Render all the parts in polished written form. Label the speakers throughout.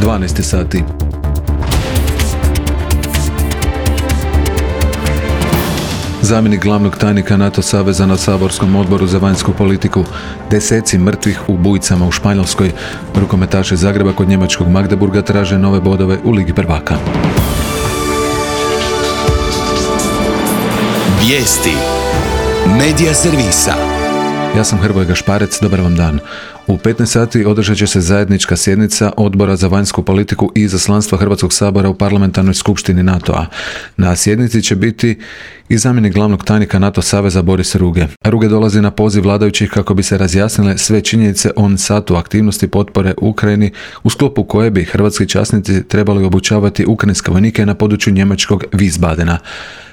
Speaker 1: 12 sati. Zamjenik glavnog tajnika NATO saveza na saborskom odboru za vanjsku politiku. Deseci mrtvih u bujicama u Španjolskoj. Rukometaši Zagreba kod njemačkog Magdeburga traže nove bodove u Ligi prvaka.
Speaker 2: Vijesti Medija servisa.
Speaker 1: Ja sam Hrvoje Gašparec, dobar vam dan. U 15 sati održat će se zajednička sjednica Odbora za vanjsku politiku i izaslanstva Hrvatskog sabora u parlamentarnoj skupštini NATO-a. Na sjednici će biti i zamjenik glavnog tajnika NATO saveza Boris Ruge. Ruge dolazi na poziv vladajućih kako bi se razjasnile sve činjenice o satu aktivnosti potpore Ukrajini, u sklopu koje bi hrvatski časnici trebali obučavati ukrajinske vojnike na području njemačkog Wiesbadena.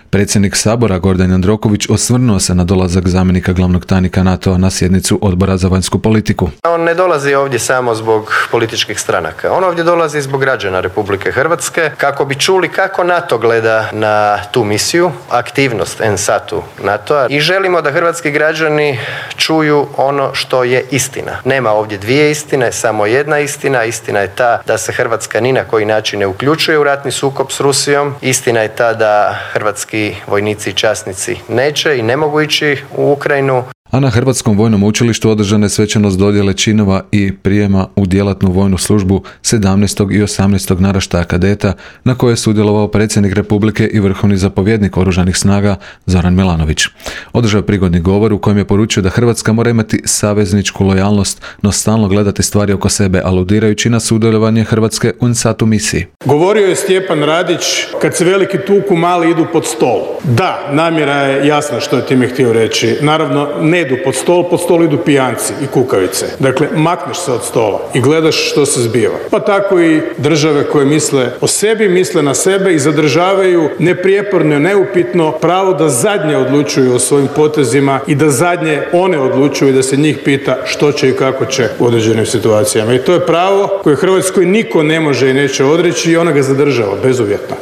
Speaker 1: Predsjednik Sabora Gordan Jandroković osvrnuo se na dolazak zamjenika glavnog tajnika NATO-a na sjednicu Odbora za vanjsku politiku.
Speaker 3: On ne dolazi ovdje samo zbog političkih stranaka. On ovdje dolazi zbog građana Republike Hrvatske kako bi čuli kako NATO gleda na tu misiju, aktivnost NSAT-u NATO-a i želimo da hrvatski građani čuju ono što je istina. Nema ovdje dvije istine, samo jedna istina. Istina je ta da se Hrvatska ni na koji način ne uključuje u ratni sukob s Rusijom. Istina je ta da hrvatski vojnici i časnici neće i ne mogu ići u Ukrajinu.
Speaker 1: A na Hrvatskom vojnom učilištu održana je svečanost dodjele činova i prijema u djelatnu vojnu službu 17. i 18. naraštaja kadeta, na koje je sudjelovao predsjednik Republike i vrhovni zapovjednik Oružanih snaga Zoran Milanović. Održao je prigodni govor u kojem je poručio da Hrvatska mora imati savezničku lojalnost, no stalno gledati stvari oko sebe, aludirajući na sudjelovanje Hrvatske u NSAT-u misiji.
Speaker 4: Govorio je Stjepan Radić, kad se veliki tuku, mali idu pod stol. Da, namjera je jasna što je time htio reći. Naravno, ne idu pod stol idu pijanci i kukavice. Dakle, makneš se od stola i gledaš što se zbiva. Pa tako i države koje misle o sebi, misle na sebe i zadržavaju neprijeporno, neupitno pravo da zadnje odlučuju o svojim potezima i da zadnje one odlučuju i da se njih pita što će i kako će u određenim situacijama. I to je pravo koje Hrvatskoj niko ne može i neće odreći i ona ga zadržava bezuvjetno.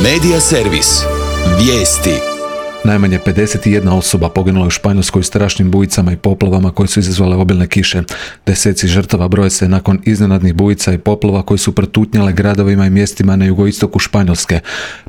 Speaker 2: Medija servis. Vijesti.
Speaker 1: Najmanje 51 osoba poginula u Španjolskoj u strašnim bujicama i poplavama koje su izazvale obilne kiše. Deseci žrtava broje se nakon iznenadnih bujica i poplava koje su protutnjale gradovima i mjestima na jugoistoku Španjolske.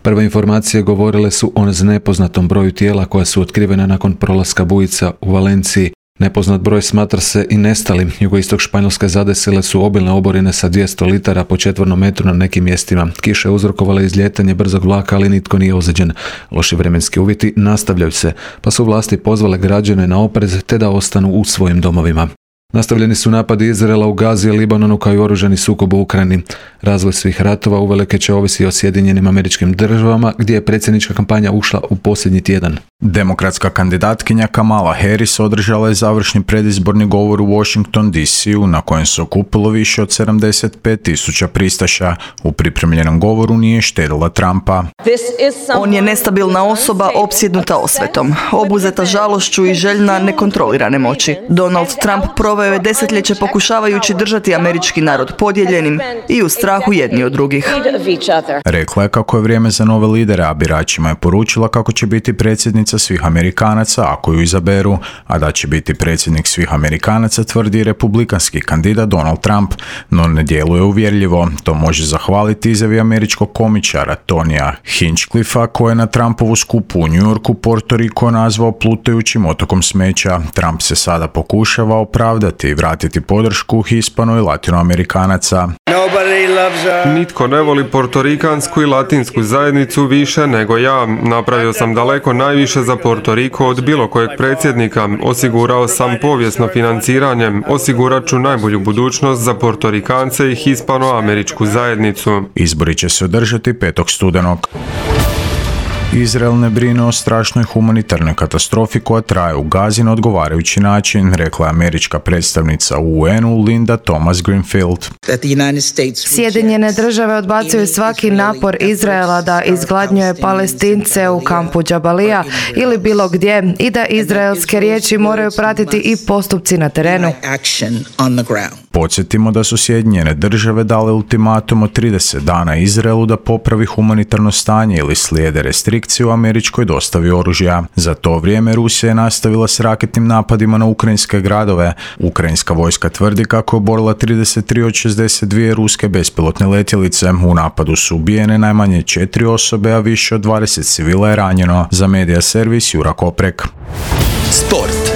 Speaker 1: Prve informacije govorile su o nepoznatom broju tijela koja su otkrivena nakon prolaska bujica u Valenciji. Nepoznat broj smatra se i nestalim. Jugoistok Španjolske zadesile su obilne oborine sa 200 litara po četvornom metru na nekim mjestima. Kiše uzrokovale izljetanje brzog vlaka, ali nitko nije ozlijeđen. Loši vremenski uvjeti nastavljaju se, pa su vlasti pozvale građane na oprez te da ostanu u svojim domovima. Nastavljeni su napadi Izraela u Gazi i Libanonu kao i oružani sukob u Ukrajini. Razvoj svih ratova uvelike će ovisiti o Sjedinjenim Američkim Državama, gdje je predsjednička kampanja ušla u posljednji tjedan.
Speaker 5: Demokratska kandidatkinja Kamala Harris održala je završni predizborni govor u Washington DC-u na kojem se okupilo više od 75,000 pristaša. U pripremljenom govoru nije štedila Trumpa.
Speaker 6: On je nestabilna osoba opsjednuta osvetom, obuzeta žalošću i željna nekontrolirane moći. Donald Trump proveo je desetljeće pokušavajući držati američki narod podijeljenim i u strahu jedni od drugih.
Speaker 5: Rekla je kako je vrijeme za nove lidere, a biračima je poručila kako će biti predsjednica svih Amerikanaca ako ju izaberu, a da će biti predsjednik svih Amerikanaca tvrdi republikanski kandidat Donald Trump, no ne djeluje uvjerljivo. To može zahvaliti izjavi američkog komičara Tonija Hinchcliffa, koji je na Trumpovu skupu u New Yorku Porto Rico nazvao plutajućim otokom smeća. Trump se sada pokušava opravdati i vratiti podršku hispano- i latinoamerikanaca.
Speaker 7: Nitko ne voli portorikansku i latinsku zajednicu više nego ja. Napravio sam daleko najviše za Porto Rico od bilo kojeg predsjednika. Osigurao sam povijesno financiranje. Osigurat ću najbolju budućnost za Portorikance i hispano-američku zajednicu.
Speaker 5: Izbori će se održati 5. studenog. Izrael ne brine o strašnoj humanitarnoj katastrofi koja traje u Gazi na odgovarajući način, rekla je američka predstavnica u UN-u Linda Thomas Greenfield.
Speaker 8: Sjedinjene države odbacuju svaki napor Izraela da izgladnjuje Palestince u kampu Džabalija ili bilo gdje i da izraelske riječi moraju pratiti i postupci na terenu.
Speaker 5: Podsjetimo da su Sjedinjene države dale ultimatum od 30 dana Izraelu da popravi humanitarno stanje ili slijede restrikcije u američkoj dostavi oružja. Za to vrijeme Rusija je nastavila s raketnim napadima na ukrajinske gradove. Ukrajinska vojska tvrdi kako je oborila 33 od 62 ruske bespilotne letjelice. U napadu su ubijene najmanje 4 osobe, a više od 20 civila je ranjeno. Za Medija servis Jura Koprek.
Speaker 2: Sport.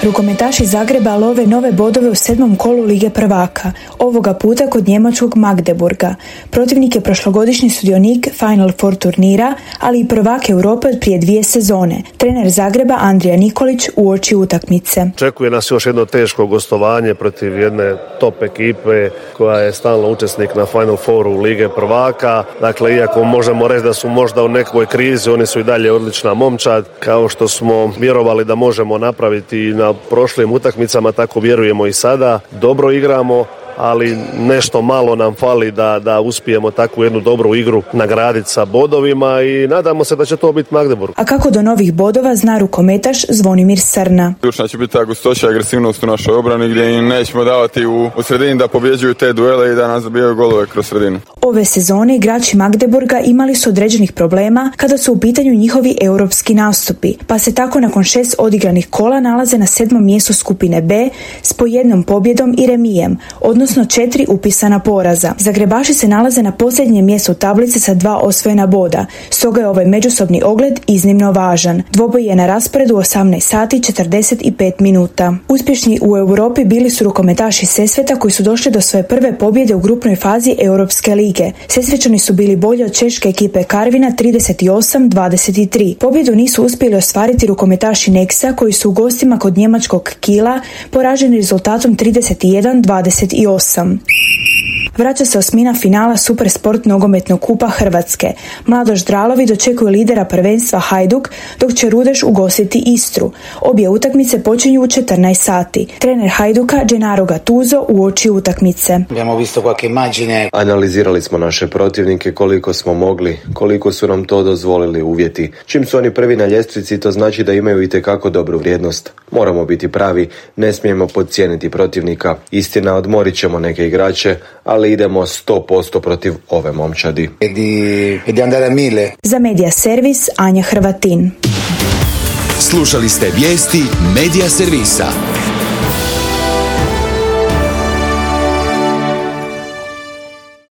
Speaker 9: Rukometaši Zagreba love nove bodove u 7. kolu Lige prvaka, ovoga puta kod njemačkog Magdeburga. Protivnik je prošlogodišnji sudionik Final Four turnira, ali i prvak Europe od prije 2 sezone. Trener Zagreba Andrija Nikolić uoči utakmice.
Speaker 10: Očekuje nas još jedno teško gostovanje protiv jedne top ekipe koja je stalno učesnik na Final Fouru Lige prvaka. Dakle, iako možemo reći da su možda u nekoj krizi, oni su i dalje odlična momčad. Kao što smo vjerovali da možemo napraviti na prošlim utakmicama, tako vjerujemo i sada. Dobro igramo, ali nešto malo nam fali da uspijemo takvu jednu dobru igru nagraditi sa bodovima i nadamo se da će to biti Magdeburg.
Speaker 9: A kako do novih bodova zna rukometaš Zvonimir Srna.
Speaker 11: Ključna će biti ta gustoća i agresivnost u našoj obrani gdje im nećemo davati u sredini da pobjeđuju te duele i da nas zabijaju golove kroz sredinu.
Speaker 9: Ove sezone igrači Magdeburga imali su određenih problema kada su u pitanju njihovi europski nastupi, pa se tako nakon 6 odigranih kola nalaze na 7. mjestu skupine B s po 1 pobjedom i remijem, odnosno 4 upisana poraza. Zagrebaši se nalaze na posljednjem mjestu tablice sa 2 osvojena boda, stoga je ovaj međusobni ogled iznimno važan. Dvoboj je na rasporedu 18 sati 45 minuta. Uspješni u Europi bili su rukometaši Sesveta koji su došli do svoje prve pobjede u grupnoj fazi Europske lige. Sesvečani su bili bolji od češke ekipe Karvina 38-23. Pobjedu nisu uspjeli ostvariti rukometaši Nexa koji su u gostima kod njemačkog Kiela poraženi rezultatom 31-28. Vraća se osmina finala Supersport nogometnog kupa Hrvatske. Mladoš Dralovi dočekuju lidera prvenstva Hajduk, dok će Rudeš ugostiti Istru. Obje utakmice počinju u 14 sati. Trener Hajduka Gennaro Gattuso uoči utakmice.
Speaker 12: Analizirali smo naše protivnike koliko smo mogli, koliko su nam to dozvolili uvjeti. Čim su oni prvi na ljestvici, to znači da imaju itekako dobru vrijednost. Moramo biti pravi, ne smijemo podcijeniti protivnika. Istina, odmorit ćemo neke igrače, ali idemo 100% protiv ove momčadi.
Speaker 9: Za Medija servis Anja Hrvatin.
Speaker 2: Slušali ste vijesti Medija servisa.